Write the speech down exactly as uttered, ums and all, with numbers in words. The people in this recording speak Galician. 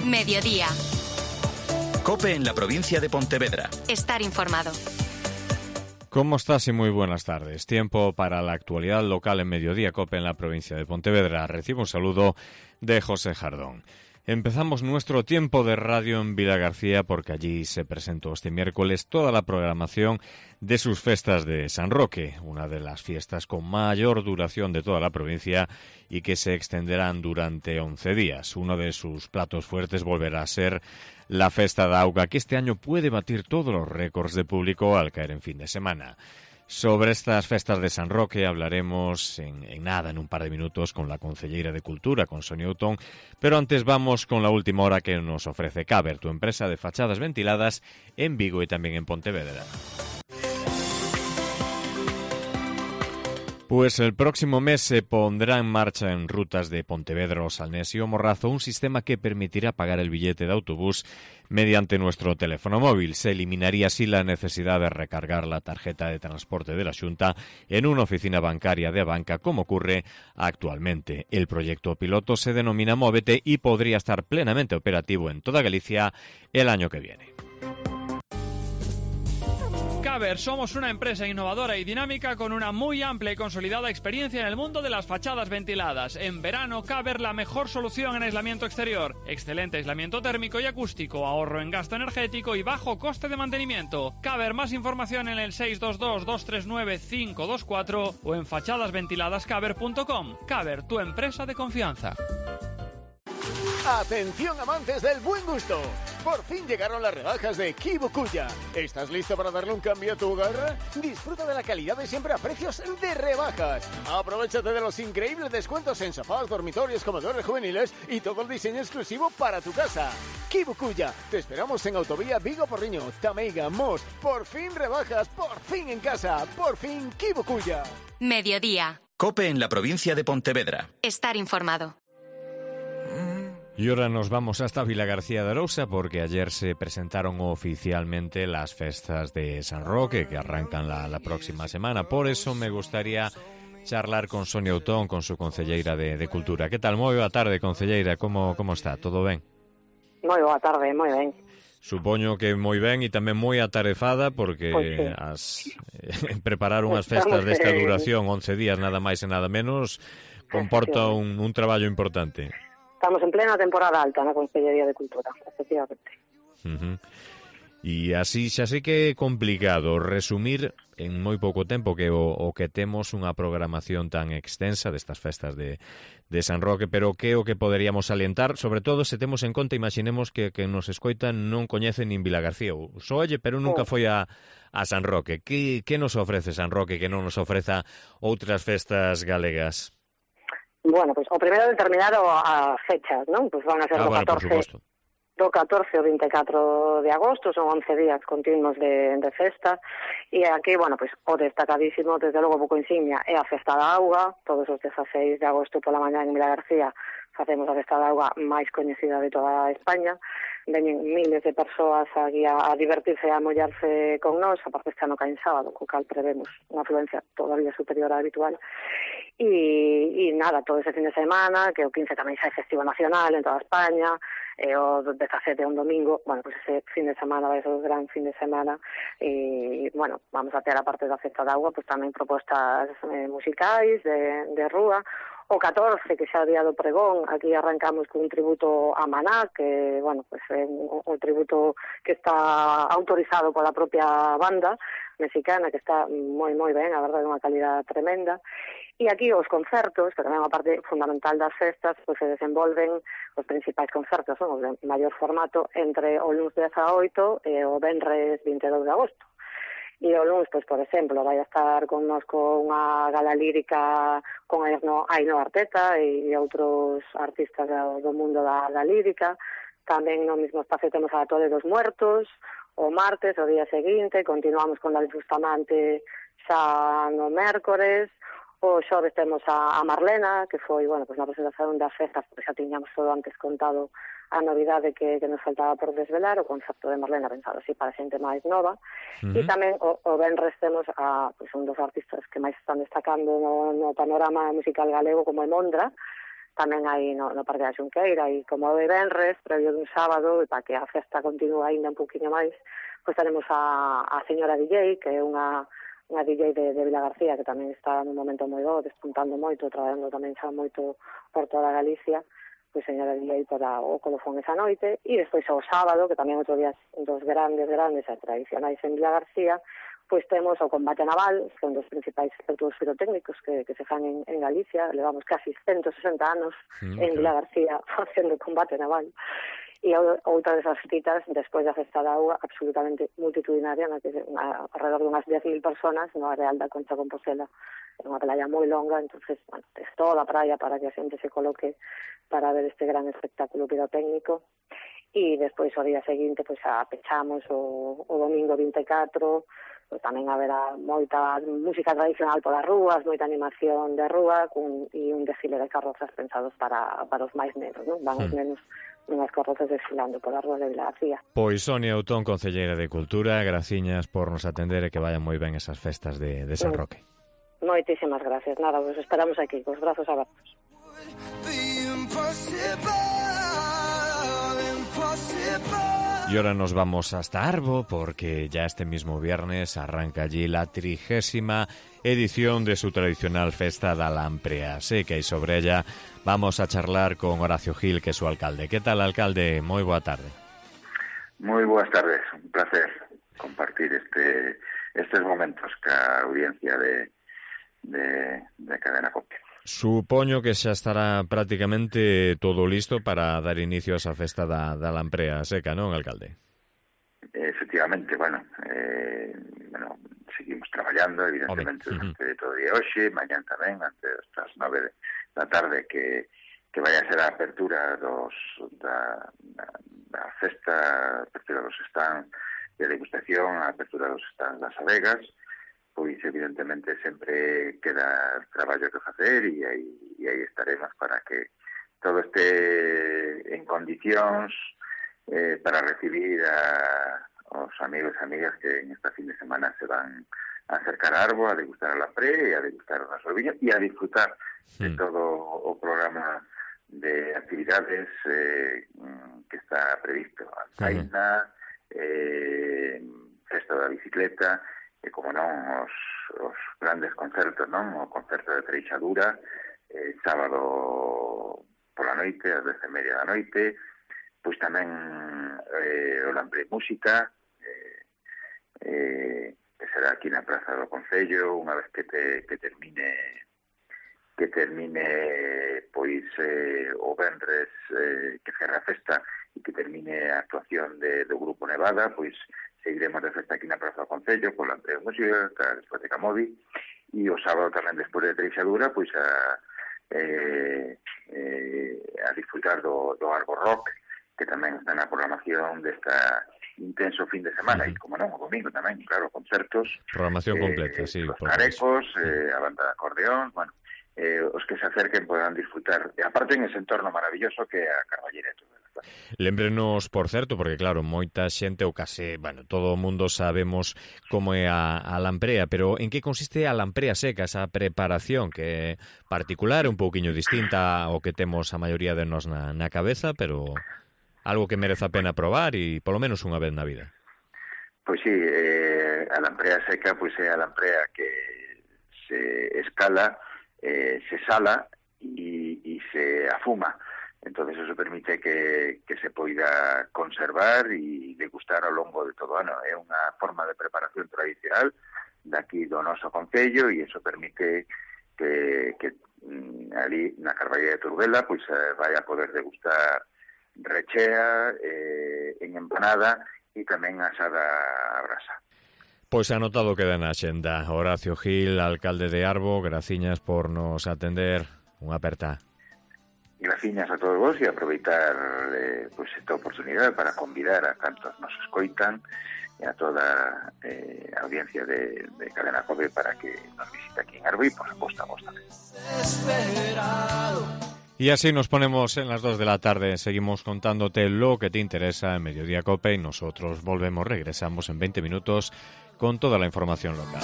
Mediodía. COPE en la provincia de Pontevedra. Estar informado. ¿Cómo estás? Y muy buenas tardes. Tiempo para la actualidad local en Mediodía COPE en la provincia de Pontevedra. Recibo un saludo de José Jardón. Empezamos nuestro tiempo de radio en Vilagarcía porque allí se presentó este miércoles toda la programación de sus festas de San Roque, una de las fiestas con mayor duración de toda la provincia y que se extenderán durante once días. Uno de sus platos fuertes volverá a ser la Festa da Auga, que este año puede batir todos los récords de público al caer en fin de semana. Sobre estas festas de San Roque hablaremos en, en nada, en un par de minutos, con la concelleira de Cultura, con Sonia Outón, pero antes vamos con la última hora que nos ofrece Caber, tu empresa de fachadas ventiladas en Vigo y también en Pontevedra. Pues el próximo mes se pondrá en marcha en rutas de Pontevedra, Os Salnés y O Morrazo un sistema que permitirá pagar el billete de autobús mediante nuestro teléfono móvil. Se eliminaría así la necesidad de recargar la tarjeta de transporte de la Xunta en una oficina bancaria de Abanca, como ocurre actualmente. El proyecto piloto se denomina Móvete y podría estar plenamente operativo en toda Galicia el año que viene. Caber, somos una empresa innovadora y dinámica con una muy amplia y consolidada experiencia en el mundo de las fachadas ventiladas. En verano, Caber, la mejor solución en aislamiento exterior. Excelente aislamiento térmico y acústico, ahorro en gasto energético y bajo coste de mantenimiento. Caber, más información en el seis dos dos, dos tres nueve, cinco dos cuatro o en fachadas ventiladas caber punto com. Caber, tu empresa de confianza. Atención amantes del buen gusto, por fin llegaron las rebajas de Kibukuya. ¿Estás listo para darle un cambio a tu hogar? Disfruta de la calidad de siempre a precios de rebajas. Aprovéchate de los increíbles descuentos en sofás, dormitorios, comedores juveniles y todo el diseño exclusivo para tu casa. Kibukuya, te esperamos en Autovía Vigo Porriño, Tameiga, Mos. Por fin rebajas, por fin en casa, por fin Kibukuya. Mediodía. COPE en la provincia de Pontevedra. Estar informado. Y ahora nos vamos hasta Vilagarcía de Arousa porque ayer se presentaron oficialmente las festas de San Roque que arrancan la, la próxima semana. Por eso me gustaría charlar con Sonia Outón, con su concelleira de, de Cultura. ¿Qué tal? Moi boa tarde, concelleira. Como, como está? Todo ben? Moi boa tarde, moi ben. Supoño que moi ben e tamén moi atarefada porque pues sí. as, eh, preparar unhas festas desta duración, once días nada máis e nada menos, comporta un, un traballo importante. Estamos en plena temporada alta na Consellería de Cultura, efectivamente. Uh-huh. E así xa sei que é complicado resumir en moi pouco tempo que o, o que temos unha programación tan extensa destas festas de, de San Roque, pero que o que poderíamos salientar, sobre todo se temos en conta, imaginemos que, que nos escoitan non coñecen nin Vilagarcía, ou solle, pero nunca foi a, a San Roque. Que, que nos ofrece San Roque que non nos ofreza outras festas galegas? Bueno, pues o primeiro determinar as fechas, non? Pues van a ser ah, do bueno, catorce, do catorce ao vinte e catro de agosto, son once días continuos de, de festa, e aquí, bueno, pues o destacadísimo, desde logo pouco insignia, é a Festa da Auga. Todos os dezaseis de agosto pola mañá en Vilagarcía facemos a Festa da Auga máis coñecida de toda España. Veñen miles de persoas aquí a, a divertirse e a mollarse con nós, a parte este ano caen sábado, co cal prevemos unha afluencia todavía superior á habitual. E, e nada, todo ese fin de semana, que o quince tamén xa é festivo nacional en toda España, e o dezasete é un domingo, bueno, pues ese fin de semana vai ser un gran fin de semana, e, bueno, vamos a ter a parte da Festa da Auga, pues tamén propostas eh, musicais de, de rúa. O catorce, que xa é o día do pregón, aquí arrancamos con un tributo a Maná, que, bueno, pues é un, un tributo que está autorizado pola propia banda mexicana, que está moi, moi ben, a verdade, unha calidad tremenda. E aquí os concertos, que tamén é unha parte fundamental das festas, pues se desenvolven os principais concertos, son os de maior formato, entre o luns dezaoito e o venres vinte e dous de agosto. E o luns, pois, por exemplo, vai a estar connosco unha gala lírica con Ainhoa Arteta e outros artistas do mundo da, da lírica. Tamén no mesmo espacio temos a Tole dos Muertos, o martes, o día seguinte, continuamos con David Bustamante xa no mércores. O xoves temos a, a Marlena, que foi, bueno, pues na presentación das festas, porque xa tiñamos todo antes contado a novidade que, que nos faltaba por desvelar, o concepto de Marlena pensado así para xente máis nova. Uh-huh. E tamén o, o venres temos a pues, un dos artistas que máis están destacando no, no panorama musical galego, como é Mondra, tamén hai no, no Parque da Xunqueira, e como de venres, previo dun sábado, e para que a festa continúe ainda un poquinho máis, pois tenemos a, a señora D J, que é unha, unha D J de, de Vila García, que tamén está nun momento moi bo, despuntando moito, traballando tamén xa moito por toda Galicia, pois señora D J para o colofón esa noite, e despois o sábado, que tamén outro día dos grandes, grandes e tradicionais en Vila García, pois temos o combate naval, que é un dos principais espectáculos pirotécnicos que, que se fan en, en Galicia. Levamos casi ciento sesenta anos mm, en Vila García facendo combate naval. E outra desas citas, despois da festa da auga, absolutamente multitudinaria, na que na, alrededor de unhas diez mil personas no Areal da Concha Compostela, é unha playa moi longa, entonces, bueno, es toda a praia para que a xente se coloque para ver este gran espectáculo pirotécnico. E despois, o día seguinte, pois, a pechamos o, o domingo vinte e catro, pois tamén haberá moita música tradicional polas rúas, moita animación de rúa cun, e un desfile de carrozas pensados para, para os máis nenos, non? Van os mm. nenos nunhas carrozas desfilando polas rúas de Vila García. Pois Sonia Outón, concelleira de Cultura, graciñas por nos atender e que vayan moi ben esas festas de, de San Roque. Moitísimas gracias, nada, vos esperamos aquí, cos brazos abertos. Y ahora nos vamos hasta Arbo porque ya este mismo viernes arranca allí la trigésima edición de su tradicional Festa da Lamprea Seca y sobre ella vamos a charlar con Horacio Gil, que es su alcalde. ¿Qué tal, alcalde? Muy buena tarde. Muy buenas tardes, un placer compartir este estos momentos con la audiencia de, de, de Cadena COPE. Supoño que xa estará prácticamente todo listo para dar inicio a esa festa da, da Lamprea Seca, non, alcalde? Efectivamente, bueno, eh, bueno, seguimos traballando, evidentemente, durante uh-huh. todo o día hoxe, mañán tamén, antes das nove da tarde, que, que vai a ser a apertura dos, da, da, da festa, a apertura dos stands de degustación, a apertura dos stands das adegas, pois evidentemente sempre queda traballo que facer e aí, e aí estaremos para que todo este en condicións eh, para recibir a os amigos e amigas que en esta fin de semana se van a acercar a Arbo, a degustar a Lamprea e a degustar o noso viño e a disfrutar sí. de todo o programa de actividades eh, que está previsto. Alzaina, sí. eh, Festa da Bicicleta, e como non os, os grandes concertos, non? O concerto de Treixadura, eh, sábado pola noite, ás dez e media da noite, pois tamén eh, o Lamprea Música, eh, eh, que será aquí na Praza do Concello, unha vez que, te, que termine que termine pois eh, o venres eh, que cerra a festa e que termine a actuación de, do Grupo Nevada, pois seguiremos de festa aquí na Praza do Concello con la Lamprea Música, a discoteca Modi, e o sábado tamén despois de Treixadura, pois a, eh, eh, a disfrutar do, do Arbo Rock, que tamén está na programación desta intenso fin de semana, e como non, o domingo tamén, claro, concertos. Programación eh, completa, sí. Os carecos, eh, a banda de acordeón, bueno, eh, os que se acerquen poderán disfrutar, e aparte en ese entorno maravilloso que é a Carballera e todo. Lémbrenos, por certo, porque claro, moita xente ou case, bueno, todo o mundo sabemos como é a, a Lamprea, pero en que consiste a Lamprea Seca, esa preparación que é particular, un pouquiño distinta ao que temos a maioría de nós na, na cabeza, pero algo que merece a pena probar e polo menos unha vez na vida. Pois sí, eh, a Lamprea Seca pois é a Lamprea que se escala, eh, se sala e, e se afuma. Entonces eso permite que, que se poida conservar e degustar ao longo de todo o ano. É unha forma de preparación tradicional daqui do noso concello e eso permite que, que ali na Carballera de Turbela pois vai a poder degustar rechea, eh, en empanada e tamén asada a brasa. Pois anotado queda na xenda. Horacio Gil, alcalde de Arbo, graciñas por nos atender. Unha aperta. Graciñas a todos vos e aproveitar eh, pues, esta oportunidade para convidar a cantos nos escoitan e a toda eh, a audiencia de, de Cadena COPE para que nos visite aquí en Arbo e, por suposto, a vos tamén. Y así nos ponemos en las dos de la tarde. Seguimos contándote lo que te interesa en Mediodía COPE y nosotros volvemos, regresamos en veinte minutos con toda la información local.